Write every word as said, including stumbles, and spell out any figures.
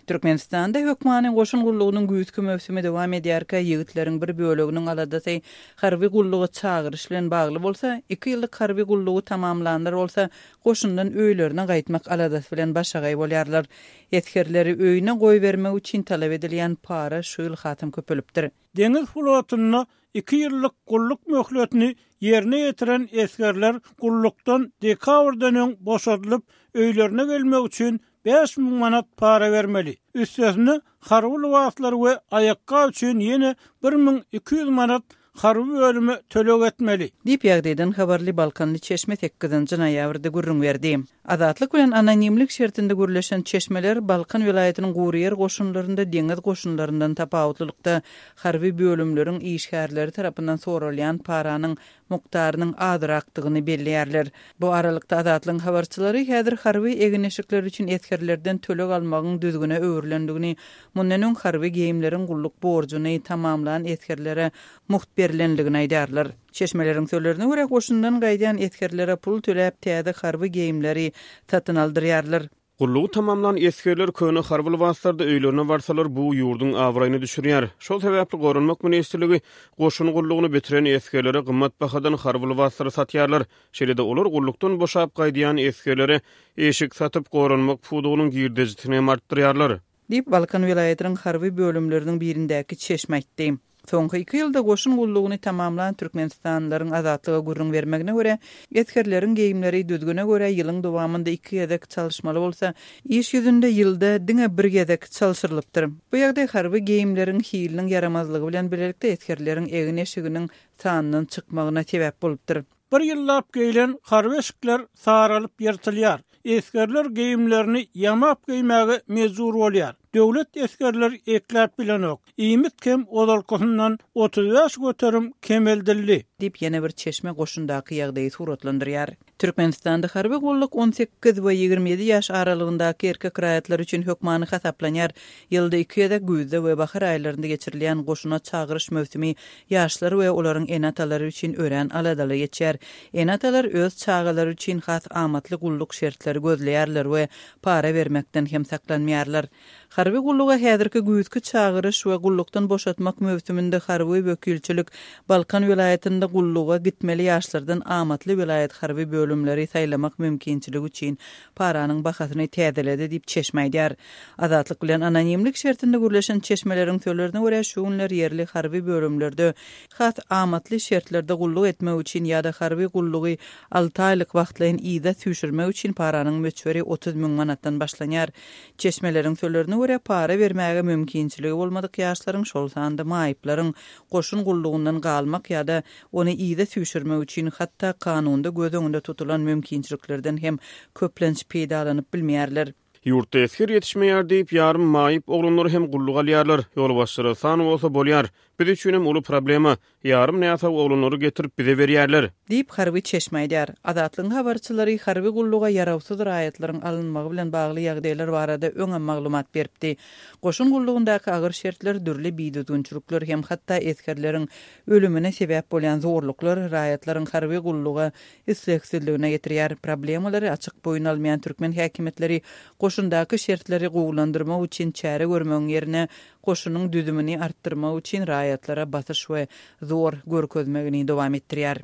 Türkmenistanda hökmany goşun gullugynyň güýzki möwsümi dowam edýärkä, ýigitleriň bir böleginiň aladasy harby gulluga çagyryş bilen bagly bolsa, iki ýyllyk harby gullugy tamamlanlar bolsa, goşundan öýlerine gaýtmak aladasy bilen başagaý bolýarlar. Esgerleri öýüne goýbermek üçin talap edilýän para şu ýyl hasam köpelipdir. Deňiz flotunda iki ýyllyk gulluk möhletini ýerine ýetiren esgerler gullukdan dekabrdan öň boşadylyp, öýlerine gelmek üçin bäş müň manat para bermeli. Üstesine harby lybaslar we aýakgap üçin ýene bir müň iki ýüz manat harby bölüme töleg etmeli. Diýip, ýagdaýdan habarly balkanly çeşme sekizinji noýabrda gürrüň berdi. Azatlyk bilen anonimlik şertinde gürleşen çeşmeler Balkan welaýatynyň gury ýer goşunlarynda deňiz goşunlaryndan tapawutlylykda harby bölümleriň işgärleri tarapyndan soralýan paranyň mukdarynyň azrakdygyny belleýärler. Bu aralykda Azatlygyň habarçylary häzir harby egin-eşikler üçin esgerlerden töleg almagyň düzgüne öwrülendigini, mundan öň harby geýimleriň gulluk borjuny tamamlan esgerlere mugt berilendigini aýdarlar. Çeşmeleriň sözlerine görä, goşundan gaýdýan esgerlere pul töläp täze harby geýimleri satyn aldyrýarlar. Gullugy tamamlan esgerler köne harby lybaslarda öýlerine barsalar, bu ýurduň abraýyny düşürýär. Şol sebäpli Goranmak ministrligi goşun gullugyny bitiren esgerlere gymmat bahadan harby lybaslary satýarlar. Şeýle-de olar gullukdan boşap gaýdýan esgerlere eşik satyp, goranmak pudagynyň girdejisini hem artdyrýarlar. Diýip, Balkan welaýatynyň harby bölümleriniň birindäki çeşme aýtdy. Soňky iki ýylda goşun gullugyny tamamlan türkmenistanlylaryň Azatlyga gürrüň bermegine görä, esgerleriň geýimleri düzgüne görä ýylyň dowamynda iki gezek çalyşmaly bolsa, iş ýüzünde ýylda diňe bir gezek çalşyrylypdyr. Bu ýagdaý harby geýimleriň hiliniň ýaramazlygy bilen birlikde esgerleriň egin-eşiginiň sandan çykmagyna sebäp bolupdyr. Bir ýyllap geýlen harby eşikler saralyp ýyrtylýar. Esgerler geýimlerini ýamap geýmäge mejbur bolýar. Döwlet esgerler ekläp bilenok. Iýmit kem ozalkysyndan otuz bäş göterim kemeldildi. Diýip, ýene bir çeşme goşundaky ýagdaýy suratlandyrýar. Türkmenistanda harby gulluk on sekiz we ýigrimi ýedi ýaş aralygyndaky erkek raýatlar üçin hökmany hasaplanýar. Ýylda iki gezek güýzde we bahar aýlarynda geçirilýän goşuna çagyryş möwsümi ýaşlar we olaryň ene-atalary üçin örän aladaly geçýär. Ene-atalar öz çagalary üçin has amatly gulluk şertleri gözleýärler we para bermekden hem saklanmaýarlar. Harby gulluga häzirki güýzki çagyryş we gullukdan boşatmak möwsüminde harby wekilçilik Balkan welaýatynda gulluga gitmeli ýaşlardan amatly welaýat harby bölümleri saýlamak mümkinçiligi üçin paranyň bahasyny täzeledi diýip çeşme aýdýar. Azatlyk bilen anonimlik şertinde gürleşen çeşmeleriň sözlerine görä şu günler ýerli harby bölümlerde has amatly şertlerde gulluk etmek üçin ýa-da harby gullugy alty aýlyk wagtlaýyn yza süýşürmek üçin paranyň möçberi otuz müň manatdan başlanýar. Çeşmeleriň sözlerine görä para bermäge mümkinçiligi bolmadyk ýaşlaryň, şol sanda maýyplaryň goşun gullugyndan galmak ýa-da ony yza süýşürmek üçin hatda kanunda göz öňünde tutulan mümkinçiliklerden hem köplenç peýdalanyp bilmeýärler. Ýurtda esger ýetişmeýär diýip, ýarym maýyp oglanlar hem gulluk alýarlar. Ýolbaşçylara san bolsa bolýar. Biz üçin hem uly problema. Ýarym näsag oglanlary getirip bize berýärler. Diýip harby çeşme aýdar. Azatlygyň habarçylary harby gulluga ýarawsyz raýatlaryň alynmagy bilen bagly ýagdaýlar barada öňem maglumat beripdi. Goşun gullugyndaky agyr şertler, dürli bidüzgünçilikler hem hatda esgerleriň ölümine sebäp bolýan zorluklar raýatlaryň harby gulluga islegsizligine getirýär. Problemalary açyk boýun almaýan türkmen häkimiýetleri goşundaky şertleri gowulandyrmak üçin çäre görmegiň ýerine goşunyň düzümini artdyrmak üçin raýatlara basyş we zor görkezmegini dowam etdirýär.